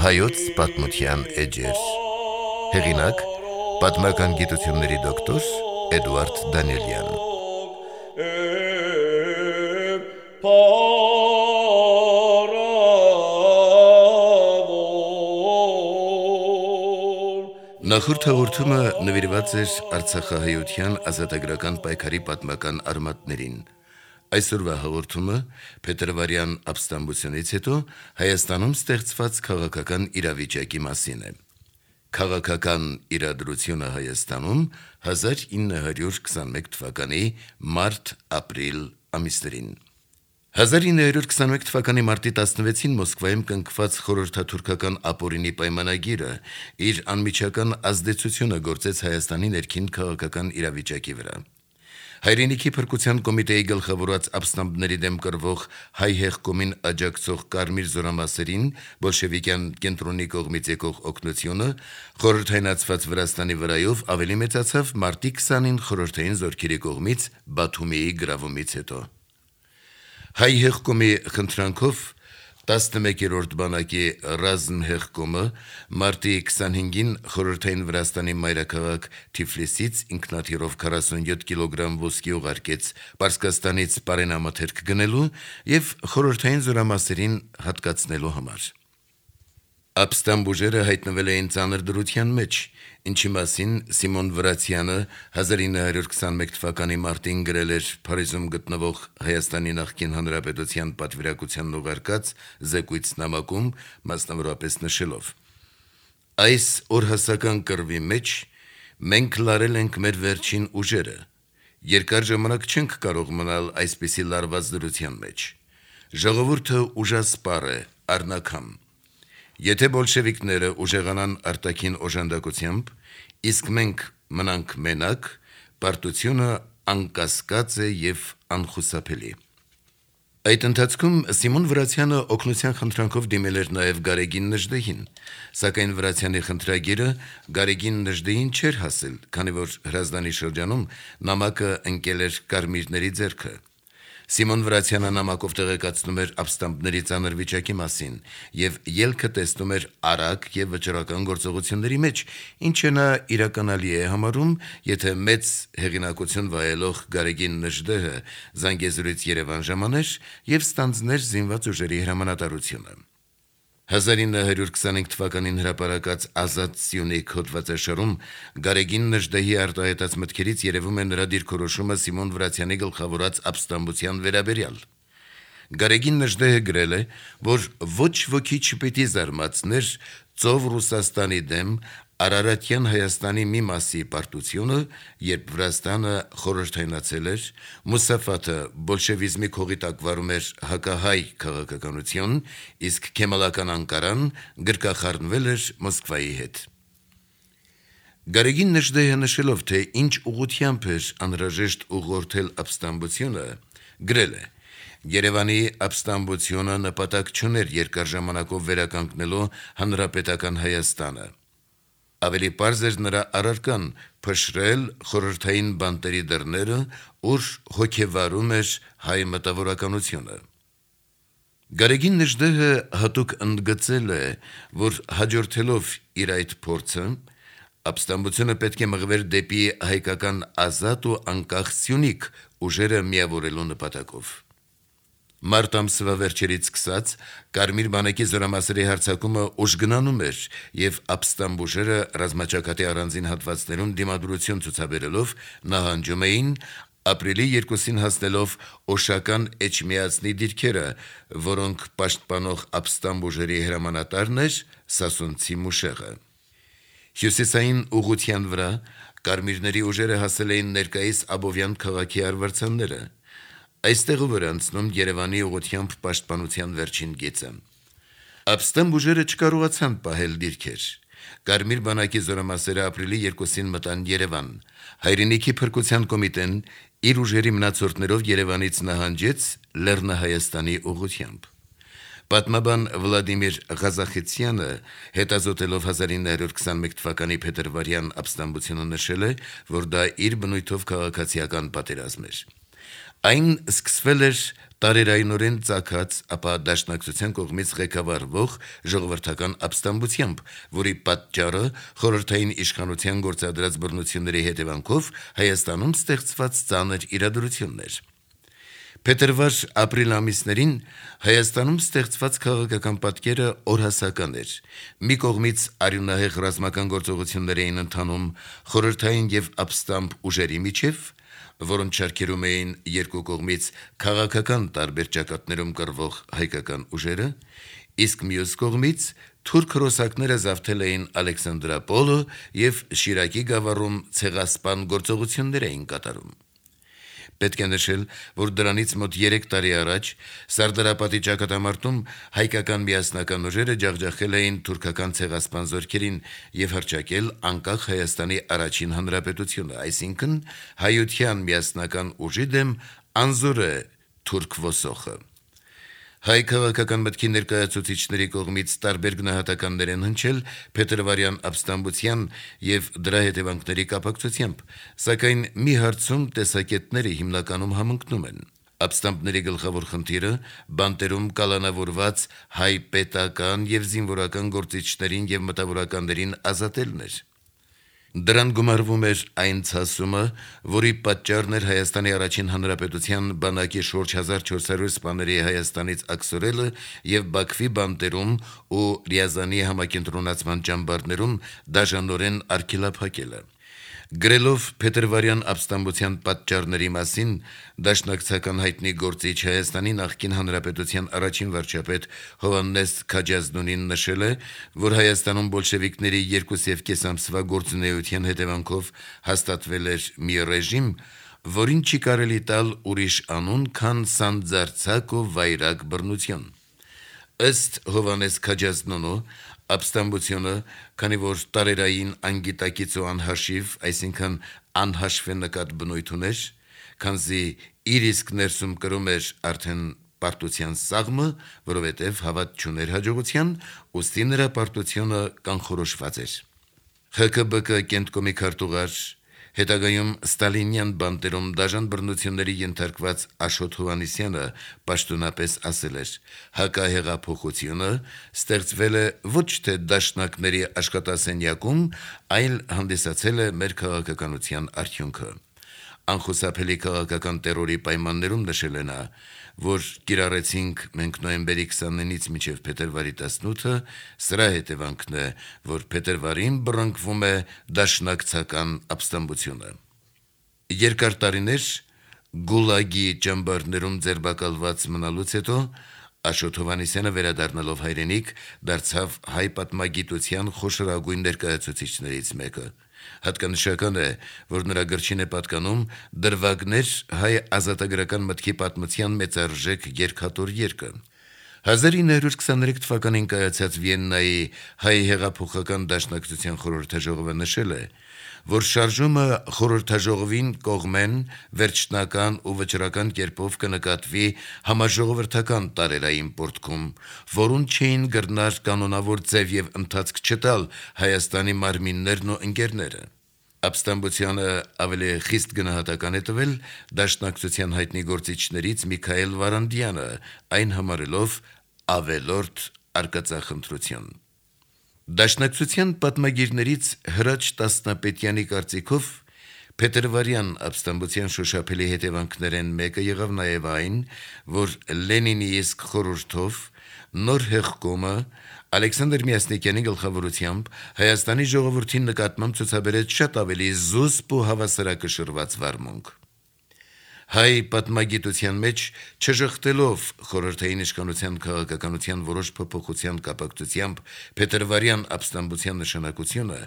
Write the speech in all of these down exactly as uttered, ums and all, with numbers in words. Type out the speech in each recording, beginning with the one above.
Հայոց պատմության էջեր։ Հեղինակ՝ պատմական գիտությունների դոկտոր Էդուարդ Դանիելյան։ Նախորդ հաղորդումը նվիրված էր Արցախահայության ազատագրական պայքարի պատմական արմատներին։ Այսօրվա հաղորդումը փետրվարյան ապստամբությունից հետո Հայաստանում ստեղծված քաղաքական իրավիճակի մասին է։ Քաղաքական իրադրությունը Հայաստանում հազար ինը հարյուր քսաներկու թվականի մարտ-ապրիլ ամիսներին։ հազար ինը հարյուր քսաներկու թվականի մարտի տասնվեցին Մոսկվայում կնքված խորհրդաթուրքական ապօրինի պայմանագիրը իր անմիջական ազդեցությունը գործեց Հայաստանի ներքին քաղաքական իրավիճակի վրա։ Հայրենիքի փրկության կոմիտեի գլխավորած ապստամբների դեմ կռվող հայ հեղկոմին աջակցող կարմիր զորամասերին բոլշևիկյան կենտրոնի կողմից եկող օգնությունը խորհրդայնացված Վրաստանի վրայով ավելի մեծացավ մարտի քսանին խորհրդային զորքերի կողմից Բաթումիի գրավումից հետո։ Հայ հեղկոմի խնդրանքով տասնմեկերորդ բանակի ռազմհեղկոմը մարտի քսանհինգին խորհրդային Վրաստանի մայրաքաղաք Թիֆլիսից ինքնաթիռով քառասունյոթ կիլոգրամ ոսկի ուղարկեց Պարսկաստանից պարենամթերք գնելու և խորհրդային զորամասերին հատկացնելու համար։ Ապստամբ ուժերը հայտնվել էին ծանր դրության մեջ, ինչի մասին Սիմոն Վրացյանը հազար ինը հարյուր քսաներկու թվականի մարտին գրել էր Փարիզում գտնվող Հայաստանի նախկին Հանրապետության պատվիրակությանն ուղարկած զեկույց նամակում, մասնավորապես նշելով. «Այս օրհասական կռվի մեջ մենք լարել ենք մեր վերջին ուժերը, երկար ժամանակ չենք կարող մնալ այսպիսի լարված դրության մեջ, ժողովուրդը ուժասպառ է, առնաքամ։ Եթե բոլշևիկները ուժեղանան արտաքին օժանդակությամբ, իսկ մենք մնանք մենակ, պարտությունը անկասկած է և անխուսափելի»։ Այդ ընթացքում Սիմոն Վրացյանը օգնության խնդրանքով դիմել էր նաև Գարեգին Նժդեհին, սակայն Վրացյանի խնդրագիրը Գարեգին Նժդեհին չէր հասել, քանի որ Հրազդանի շրջանում նամակը ընկել էր կարմիրների ձեռքը։ Սիմոն Վրացյանը նամակով տեղեկացնում էր ապստամբների ծանր վիճակի մասին և ելքը տեսնում էր արագ և վճռական գործողությունների մեջ, ինչը նա իրականալի է համարում, եթե մեծ հեղինակություն վայելող Գարեգին Նժդեհը Զանգեզուրից Երևան ժամաներ և ստանձներ զինված ուժերի հրամանատարությունը։ հազար ինը հարյուր քսանհինգ թվականին հրապարակած «Ազատ Սյունիք» հոդվածաշարում Գարեգին Նժդեհի արտահայտած մտքերից երևում է նրա դիրքորոշումը Սիմոն Վրացյանի գլխավորած ապստամբության վերաբերյալ։ Գարեգին Նժդեհը գրել է, որ ոչ ոքի չպիտի զարմացներ Ծով Ռուսաստանի դեմ Արարատյան Հայաստանի մի մասի պարտությունը, երբ Վրաստանը խորհրդայնացել էր, Մուսաֆաթը բոլշևիզմի քողի տակ վարում էր հակահայ քաղաքականություն, իսկ Քեմալական Անկարան գրկախառնվել էր Մոսկվայի հետ։ Գարեգին Նժդեհը նշելով, թե ինչ ուղղությամբ էր անհրաժեշտ ուղղորդել ապստամբությունը, գրել է. «Երևանի ապստամբությունը նպատակ չուներ երկար ժամանակով վերականգնելու հանրապետական Հայաստանը։ Ավելի պարզ էր նրա առարկան փշրել խորհրդային բանտերի դռները, ուր հոգեվարում էր հայ մտավորականությունը»։ Գարեգին Նժդեհը հատուկ ընդգծել է, որ հաջորդելով իր այդ փորձը, ապստամբությունը պետք է մղվեր դեպի հայկական ազատ ու անկախ Սյունիք ուժերը միավորելու նպատակով։ Մարտ ամսվա վերջերից սկսած Կարմիր բանակի զորամասերի հարձակումը ուժգնանում էր և ապստամբ ուժերը ռազմաճակատի առանձին հատվածներում դիմադրություն ցուցաբերելով նահանջում էին ապրիլի երկուսին հասնելով Օշական Էջմիածնի դիրքերը, որոնք պաշտպանող ապստամբ ուժերի հրամանատարն էր Սասունցի Մուշեղը։ Հյուսիսային ուղղության վրա կարմիրների ուժերը հասել էին ներկայիս Աբովյան քաղաքի արվարձանները։ Այստեղով էր անցնում Երևանի ուղղությամբ պաշտպանության վերջին գիծը։ Ապստամբ ուժերը չկարողացան պահել դիրքեր։ Կարմիր բանակի զորամասերը ապրիլի երկուսին մտան Երևան։ Հայրենիքի փրկության կոմիտեն իր ուժերի մնացորդներով Երևանից նահանջեց Լեռնահայաստանի ուղղությամբ։ Պատմաբան Վլադիմիր Ղազախեցյանը հետազոտելով հազար ինը հարյուր քսանմեկ թվականի փետրվարյան ապստամբությունը նշել է, որ դա իր բնույթով քաղաքացիական պատերազմ էր։ Այն սկսվել էր տարերայնորեն ծագած, ապա դաշնակցության կողմից ղեկավարվող ժողովրդական ապստամբությամբ, որի պատճառը խորհրդային իշխանության գործադրած բռնությունների հետևանքով Հայաստանում ստեղծված ծանր իրադրությունն էր։ Փետրվար ապրիլ ամիսներին Հայաստանում ստեղծված քաղաքական պատկերը օրհասական էր։ Մի կողմից արյունահեղ ռազմական գործողություններ էին ընթանում խորհրդային եւ ապստամբ ուժերի միջև, որոնց շարքերում էին երկու կողմից քաղաքական տարբեր ճակատներում կռվող հայկական ուժերը, իսկ մյուս կողմից թուրք հրոսակները զավթել էին Ալեքսանդրապոլը եւ Շիրակի գավառում ցեղասպան գործողություններ էին կատարում։ Պետք է նշել, որ դրանից մոտ երեք տարի առաջ Սարդարապատի ճակատամարտում հայկական միասնական ուժերը ջախջախել էին թուրքական ցեղասպան զորքերին եւ հռչակել անկախ Հայաստանի առաջին հանրապետությունը, այսինքն հայության միասնական ուժի դեմ անզոր է թուրք ոսոխը։ Հայ քաղաքական մտքի ներկայացուցիչների կողմից տարբեր գնահատականներ են հնչել փետրվարյան ապստամբության եւ դրա հետևանքների կապակցությամբ, սակայն մի հարցում տեսակետները հիմնականում համընկնում են։ Ապստամբների գլխավոր խնդիրը բանտերում կալանավորված հայ պետական եւ զինվորական գործիչներին եւ մտավորականներին ազատելն էր։ Դրան գումարվում էր այն ցասումը, որի պատճառն էր Հայաստանի առաջին հանրապետության բանակի շուրջ հազար չորս հարյուր սպաների Հայաստանից աքսորելը եւ Բաքվի բանտերում ու Ռիազանի համակենտրոնացման ճամբարներում դաժանորեն արգելափակելը։ Գրելով փետրվարյան ապստամբության պատճառների մասին, դաշնակցական հայտնի գործիչ Հայաստանի նախկին հանրապետության առաջին վարչապետ Հովհաննես Քաջազնունին նշել է, որ Հայաստանում բոլշևիկների երկու եւ կես ամսվա գործունեության հետևանքով հաստատվել էր մի ռեժիմ, որին չի կարելի տալ ուրիշ անուն, քան սանձարձակ ու վայրագ բռնություն։ Ըստ Հովհաննես Քաջազնունու, ապստամբությունը, քանի որ տարերային անգիտակից ու անհաշիվ, այսինքն անհաշվե նկատ բնույթ ուներ, քանզի իր իսկ ներսում կրում էր արդեն պարտության սաղմը, որովհետև հավատ չուներ հաջողության, ուստի նրա պարտությունը կանխորոշված էր։ ԽԿԲԿ կենտկոմի քարտուղար, հետագայում ստալինյան բանտերում դաժան բռնությունների ենթարկված Աշոտ Հովհաննիսյանը պաշտոնապես ասել էր. հակահեղափոխությունը ստեղծվել է ոչ թե դաշնակների աշխատասենյակում, այլ հանդիսացել է մեր քաղաքականության արդյունքը։ Անխուսափելի քաղաքական տերորի պայմաններում նշել է նա, որ կիրառեցինք մենք նոյեմբերի քսաներկուից մինչև փետրվարի տասնութը, սրա հետևանքն է, որ փետրվարին բռնկվում է դաշնակցական ապստամբությունը։ Երկար տարիներ գուլագի ճամբարներում ձերբակալված մնալուց հետո Աշոտ Հովհաննիսյանը վերադառնալով հայրենիք դարձավ հայ պատմագիտության խոշորագույն ներկայացուցիչներից մեկը։ Հատկանշական է, որ նրա գրչին է պատկանում դրվագներ հայ ազատագրական մտքի պատմության մեծարժեք երկաթուր երկը։ հազար ինը հարյուր քսաներեք թվականին կայացած Վիեննայի հայ հեղափոխական դաշնակցության խորհրդաժողովը նշել է, որ շարժումը խորհրդաժողովին կողմեն վերջնական ու վճռական կերպով կնկատվի համաժողովրդական տարերային պորտքում, որուն չէին գրնար կանոնավոր ձև եւ ընթացք չտալ Հայաստանի մարմիններն ու ընկերները։ Ապստամբությանը ավելի խիստ գնահատական է տվել դաշնակցության հայտնի գործիչներից Միքայել Վարանդյանը, այն համարելով ավելորդ արկածախնդրություն։ Դաշնակցության պատմագիրներից Հրաչ Տասնապետյանի կարծիքով փետրվարյան ապստամբության շոշափելի հետևանքներն մեկը եղավ նաև այն, որ Լենինի իսկ խորհրդով նոր հեղկոմը Ալեքսանդր Միասնիկյանի գլխավորությամբ Հայաստանի ժողովրդին նկատմամբ ցուցաբերեց շատ ավելի զուսպ ու հավասարակշռված վարմունք։ Հայ պատմագիտության մեջ չժխտելով խորհրդային իշխանության քաղաքականության որոշ փոփոխության կապակցությամբ փետրվարյան ապստամբության նշանակությունը,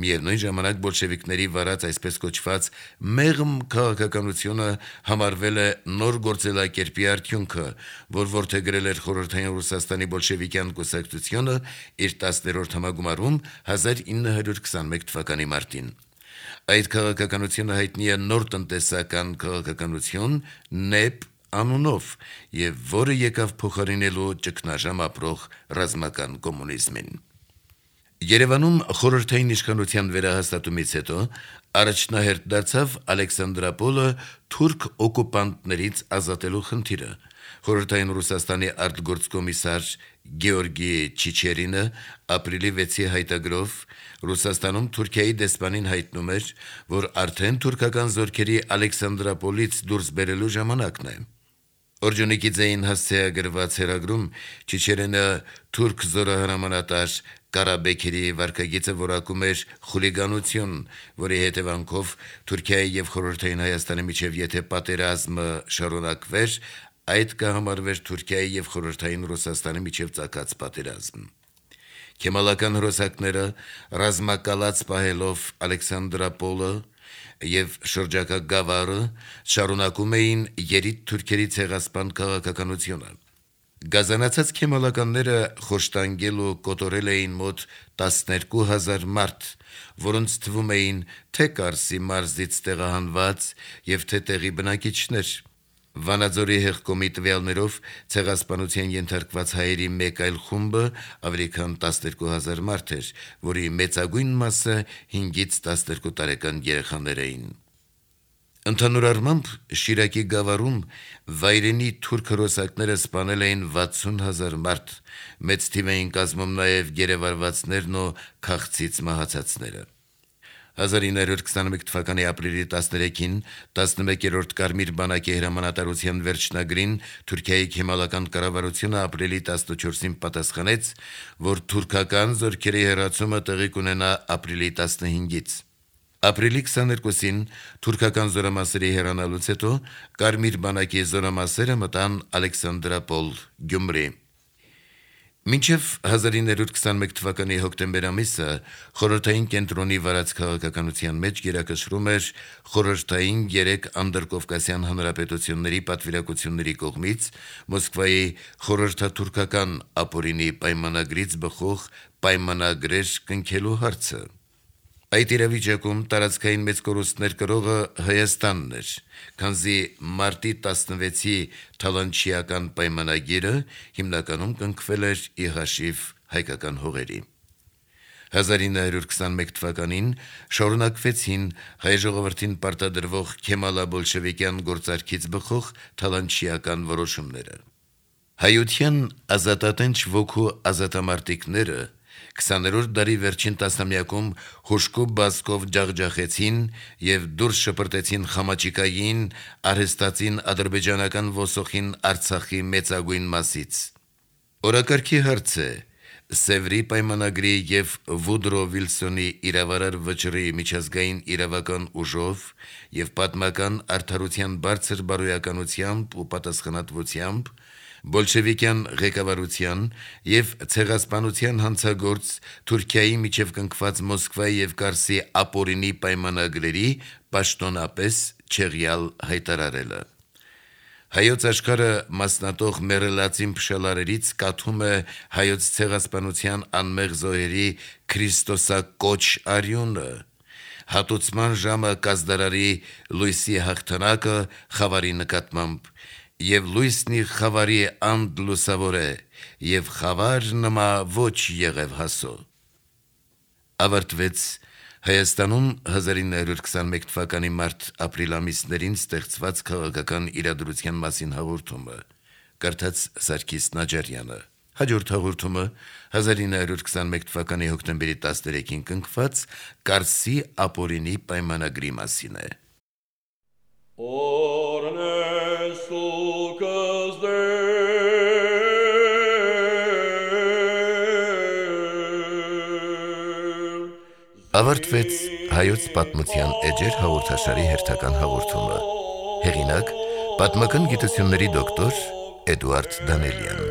միևնույն ժամանակ բոլշևիկների վարած այսպես կոչված մեղմ քաղաքականությունը համարվել է նոր գործելակերպի արդյունքը, որ որդեգրել էր խորհրդային Ռուսաստանի բոլշևիկյան կուսակցությունը իր տասներորդ համագումարում հազար ինը հարյուր քսանմեկ թվականի մարտին։ Այդ քաղաքականությունը հայտնի է նոր տնտեսական քաղաքականություն, նեպ անունով եւ որը եկավ փոխարինելու ճգնաժամ ապրող ռազմական կոմունիզմին։ Երևանում խորհրդային իշխանության վերահաստատումից հետո առաջնահերթ դարձավ Ալեքսանդրապոլը թուրք օկուպանտներից ազատելու խնդիրը։ Խորհրդային Ռուսաստանի արտգործկոմիսար Գեորգի Չիչերինը ապրիլի վեցի հայտագրով Ռուսաստանում Թուրքիայի դեսպանին հայտնում էր, որ արդեն թուրքական զորքերի Ալեքսանդրապոլից դուրս բերելու ժամանակն է։ Օրջոնիկիձեին հասցեագրված հերագրում Չիչերենը թուրք զորահրամանատար Կարաբեքերի վարկագիծը որակում էր խուլիգանություն, որի հետևանքով Թուրքիայի եւ Խորհրդային Հայաստանի միջև եթե պատերազմը շարունակվեր, այդ կհամարվեր Թուրքիայի եւ Խորհրդային Ռուսաստանի միջև ծագած պատերազմ։ Քեմալական հրոսակները ռազմակալած պահելով Ալեքսանդրապոլը եւ շրջակա գավառը շարունակում էին երիտ թուրքերի ցեղասպան քաղաքականությունը։ Գազանացած քեմալականները խոշտանգել ու կոտորել էին մոտ տասներկու հազար մարդ, որոնց թվում էին թե Կարսի մարզից տեղահանված եւ թե տեղի բնակիչներ։ Վանաձորի հեղկոմի տվյալներով ցեղասպանության ենթարկված հայերի մեկ այլ խումբը ավելի քան տասներկու հազար մարդ էր, որի մեծագույն մասը հինգից տասներկու տարեկան երեխաներ էին։ Ընդհանուր առմամբ Շիրակի գավառում վայրենի թուրք հրոսակները սպանել էին վաթսուն հազար մարդ, մեծ թիվ էին կազմում նաև գերեվարվածներն ու քաղցից մահացածները։ հազար ինը հարյուր քսաներեք թվականի ապրիլի տասներեքին տասնմեկերորդ Կարմիր բանակի հրամանատարության վերջնագրին Թուրքիայի քեմալական կառավարությունը ապրիլի տասնչորսին պատասխանեց, որ թուրքական զորքերի հեռացումը տեղի կունենա ապրիլի տասնհինգից։ Ապրիլի քսաներկուսին թուրքական զորամասերի հեռանալուց հետո Կարմիր բանակի զորամասերը մտան Ալեքսանդրապոլ, Գյումրի։ Մինչև հազար ինը հարյուր քսաներեք թվականի հոկտեմբեր ամիսը խորհրդային կենտրոնի վարած քաղաքականության մեջ գերակշռում էր խորհրդային երեք անդրկովկասյան հանրապետությունների պատվիրակությունների կողմից Մոսկվայի խորհրդաթուրքական ապօրինի պայմանագրից բխող պայմանագրեր կնքելու հարցը։ Այդ իրավիճակում տարածքային մեծ կորուստներ կրողը Հայաստանն էր, քանզի մարտի տասնվեցի Թալանչիական պայմանագիրը հիմնականում կնքվել էր ի հաշիվ հայկական հողերի։ հազար ինը հարյուր քսաներեք թվականին շարունակվեցին հայ ժողովրդին պարտադրվող քեմալա-բոլշևիկյան գործարքից բխող Թալանչիական որոշումները։ Հայության ազատատենչ ոգու ազատամարտիկները քսաներորդ դարի վերջին տասնամյակում հուժկու բազկով ջախջախեցին եւ դուրս շպրտեցին Խամաչիկային արհեստացին ադրբեջանական ոսոխին Արցախի մեծագույն մասից։ Օրակարգի հարց է Սևրի պայմանագրի եւ Վուդրո Վիլսոնի իրավարար վճռի միջազգային իրավական ուժով եւ պատմական արդարության բարձր բարոյականությամբ ու պատասխանատվությամբ բոլշևիկյան ղեկավարության եւ ցեղասպանության հանցագործ Թուրքիայի միջև կնքված Մոսկվայի եւ Կարսի ապօրինի պայմանագրերի պաշտոնապես չեղյալ հայտարարելը։ Հայոց աշխարհը մասնատող մերելացին փշալարերից կաթում է հայոց ցեղասպանության անմեղ զոհերի Քրիստոսակոչ արյունը։ Հատուցման ժամը կազդարարի լույսի հաղթանակը խավարի նկատմամբ եւ լույսնի խավարի անդ լուսավոր է, եւ խավար նմա ոչ եղև հասո։ Ավարտվեց Հայաստանում հազար ինը հարյուր քսաներեք թվականի մարտ-ապրիլ ամիսներին ստեղծված քաղաքական իրադրության մասին հաղորդումը։ Կարդաց Սարգիս Նաջարյանը։ Հաջորդ հաղորդումը հազար ինը հարյուր քսաներեք թվականի հոկտեմբերի տասներեքին կնքված Կարսի ապօրինի պայմանագրի մասին է։ Ավարտվեց հայոց պատմության էջեր հաղորդաշարի հերթական հաղորդումը։ Հեղինակ՝ պատմական գիտությունների դոկտոր Էդուարդ Դանելյան։